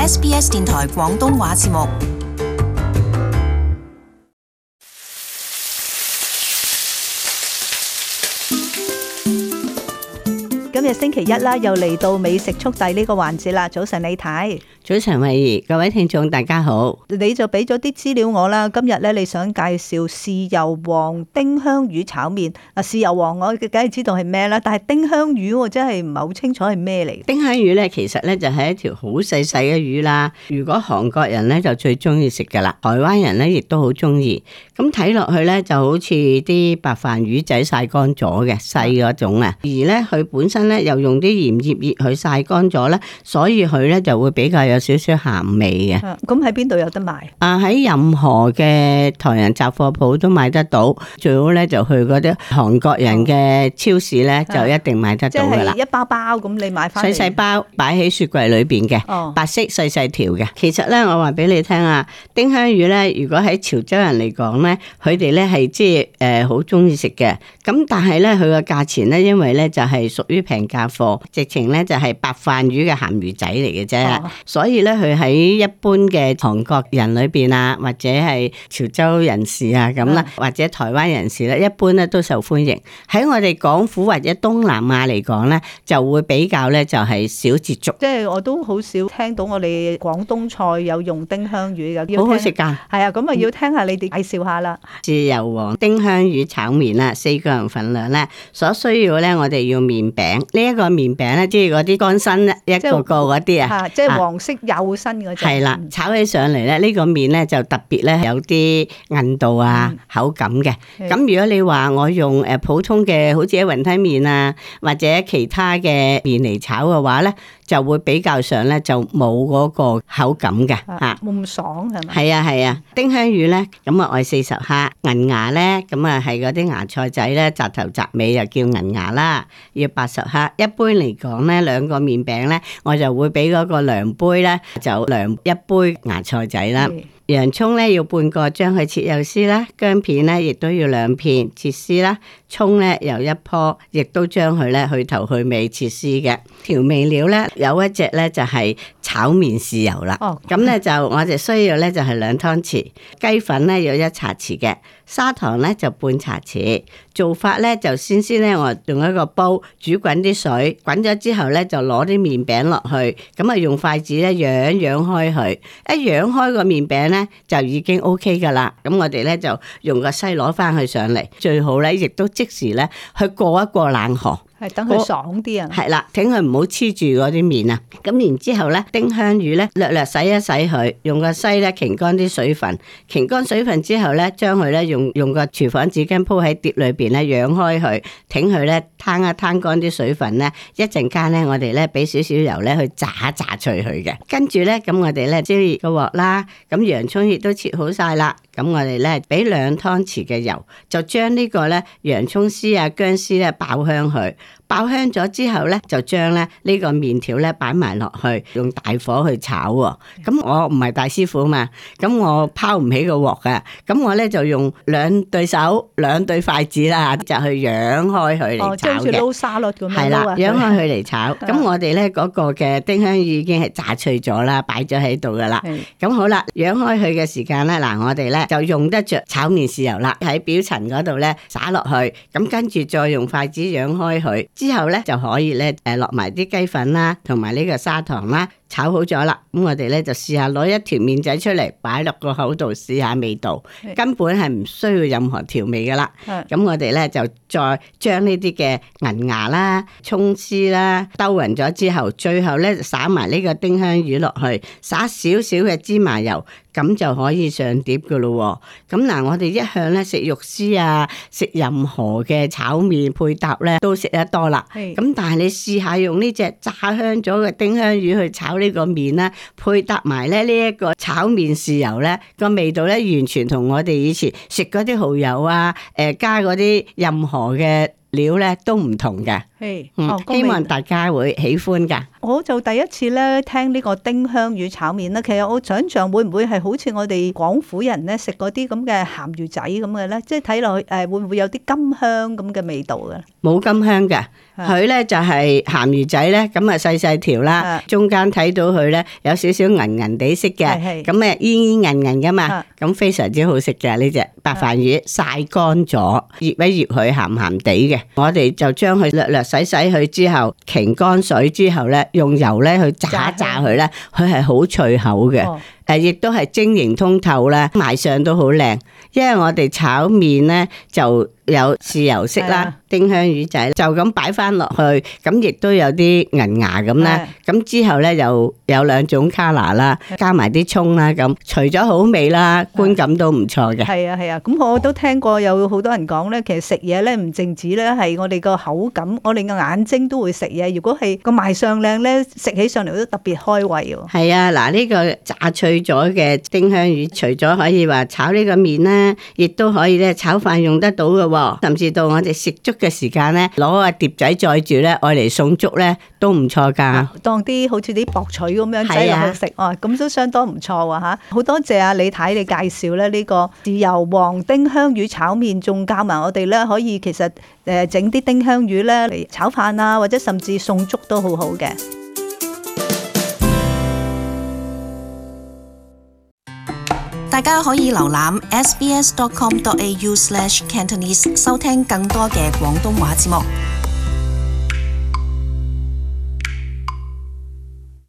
SBS 電台廣東話節目。今日星期一啦，又嚟到美食速遞呢個環節啦。早晨李太，早晨慧怡，各位聽眾大家好。你就俾咗啲資料我啦。今日咧，你想介紹豉油黃丁香魚炒麵。豉油黃我梗係知道係咩啦，但係丁香魚我真係唔係好清楚係咩嚟。丁香魚咧，其實咧就係一條好細細嘅魚啦。如果韓國人咧就最中意食噶啦，台灣人咧亦都好中意。咁睇落去咧就好似啲白飯魚仔曬乾咗嘅細嗰種啊。而咧佢本身咧又用啲鹽醃熱佢曬乾咗咧，所以佢咧就會比較有少少鹹味嘅。咁喺邊度有得賣？喺任何嘅台人雜貨鋪都買得到，最好咧就去嗰啲韓國人嘅超市咧就一定買得到噶啦。即係一包包咁，你買翻嚟細細包擺喺雪櫃裏邊嘅，白色細細條嘅。其實咧，我話俾你聽啊，丁香魚咧，如果喺潮州人嚟講咧，佢哋咧係即係好中意食嘅。咁但係咧，佢個價錢咧，因為咧就係屬於平價貨，直情咧就係白飯魚嘅鹹魚仔嚟嘅啫。所以咧，佢喺一般嘅韓國人裏邊啊，或者係潮州人士啊咁啦，或者台灣人士咧，一般咧都受歡迎。喺我哋港府或者東南亞嚟講咧，就會比較咧就係少接觸。即係我都好少聽到我哋廣東菜有用丁香魚嘅，好好食㗎。係啊，咁啊要聽下你哋介紹下啦。豉油黃丁香魚炒麵啦，4個人份量咧，所需要咧我哋要麵餅。呢一個麵餅咧，即係嗰啲乾身一個個嗰啲啊，即係黃色幼身嗰隻。係啦，炒起上嚟咧，呢個麵咧就特別咧有啲韌度啊、口感嘅。咁如果你話我用普通嘅好似喺雲吞麵啊，或者其他嘅麵嚟炒嘅話咧，就會比較上咧就冇嗰個口感嘅嚇，冇咁爽係咪？係啊係啊，丁香魚咧咁啊愛40克，銀芽咧咁啊係嗰啲芽菜仔咧，紮頭紮尾又叫銀芽啦，要80克。一般嚟講咧，兩個麵餅咧，我就會俾嗰個量杯咧，就量一杯芽菜仔啦。洋蔥咧要半個，將佢切幼絲啦；薑片咧亦都要2片切絲啦；蔥咧又1棵，亦都將佢咧去頭去尾切絲嘅。調味料咧有一隻咧就係炒麵豉油啦。咁咧就我哋需要咧就係2湯匙，雞粉咧有1茶匙嘅，砂糖咧就半茶匙。做法咧就先咧我用一個煲煮滾啲水，滾咗之後咧就攞啲麵餅落去，咁啊用筷子咧揚開佢，一揚開個麵餅咧就已經 OK 噶啦。咁我哋咧就用個篩攞翻去上嚟，最好咧亦都即時咧去過一過冷河。係等佢爽啲啊！係啦，等佢唔好黐住嗰啲麵啊。咁然之後咧，丁香魚咧略略洗一洗佢，用個篩咧擎乾啲水分，擎乾水分之後咧，將佢咧用個廚房紙巾鋪喺碟裏邊咧，揚開佢，挺佢咧攤一攤乾啲水分咧，一陣間咧我哋咧俾少少油咧去炸一炸脆佢嘅。跟住咧，咁我哋咧燒熱個鑊啦，咁洋葱亦都切好晒啦。咁我哋咧俾2湯匙嘅油，就將呢個咧洋葱絲啊、薑絲咧爆香佢。爆香咗之後咧，就將咧呢個麵條咧擺埋落去，用大火去炒喎。咁我唔係大師傅嘛，咁我拋唔起個鑊㗎。咁我咧就用2對手、2對筷子啦，就去揚開佢嚟炒嘅。即係好似撈沙律咁樣。係啦，揚開佢嚟炒。咁我哋咧嗰個嘅丁香魚已經係炸脆咗啦，擺咗喺度噶啦。咁好啦，揚開佢嘅時間咧，嗱我哋咧就用得着炒麵豉油啦，喺表層嗰度咧灑落去。咁跟住再用筷子揚開佢。之後咧就可以咧落埋啲雞粉啦，同埋呢個砂糖啦，炒好咗啦。咁我哋咧就試下攞一條麵仔出嚟，擺落個口度試下味道，根本係唔需要任何調味噶啦。咁我哋咧就再將呢啲嘅銀芽啦、蔥絲啦兜勻咗之後，最後咧灑埋呢個丁香魚落去，灑少少嘅芝麻油。咁就可以上碟噶咯喎。咁嗱，我哋一向咧食肉絲啊，食任何嘅炒麵配搭咧都食得多啦。咁但係你試下用呢隻炸香咗嘅丁香魚去炒呢個麵啦，配搭埋咧呢一個炒麵豉油咧，個味道咧完全同我哋以前食嗰啲蠔油啊，加嗰啲任何嘅料咧都唔同嘅。希望大家會喜歡㗎。我就第一次咧聽呢個丁香魚炒麵啦。其實我想象會唔會係好似我哋廣府人咧食嗰啲咁嘅鹹魚仔咁嘅咧？即係睇落去會唔會有啲甘香咁嘅味道嘅？冇甘香嘅，佢咧就係鹹魚仔咧，咁啊細細條啦，中間睇到佢咧有少少銀銀地色嘅，咁誒煙煙韌韌噶嘛，咁非常之好食嘅呢隻白飯魚，曬乾咗，醃一醃佢鹹鹹地嘅，我哋就將佢略略洗佢之後，擎乾水之後咧，用油咧去炸一炸佢咧，佢係好脆口嘅。亦都係晶瑩通透啦，賣相都好靚。因為我哋炒麵咧就有豉油色啦，丁香魚仔就咁擺翻落去，咁亦都有啲銀牙咁啦。咁之後咧又有兩種卡拿啦，加埋啲蔥啦，咁除咗好味啦，觀感都唔錯嘅。係啊，咁我都聽過有好多人講咧，其實食嘢咧唔淨止咧係我哋個口感，我哋個眼睛都會食嘢。如果係個賣相靚咧，食起上嚟都特別開胃喎。係啊，嗱呢個炸脆咗嘅丁香魚，除咗可以話炒呢個麵啦，亦都可以咧炒飯用得到嘅，甚至到我哋食粥嘅時間咧，攞個碟仔載住咧，愛嚟送粥咧都唔錯噶。當啲好似啲薄錘咁樣擠落去食，咁都相當唔錯喎吓。好多謝阿李太你介紹咧呢個豉油黃丁香魚炒麵，仲教埋我哋咧可以其實整啲丁香魚咧嚟炒飯啊，或者甚至送粥都好好嘅。大家可以瀏覽 sbs.com.au/cantonese 收聽更多嘅廣東話節目。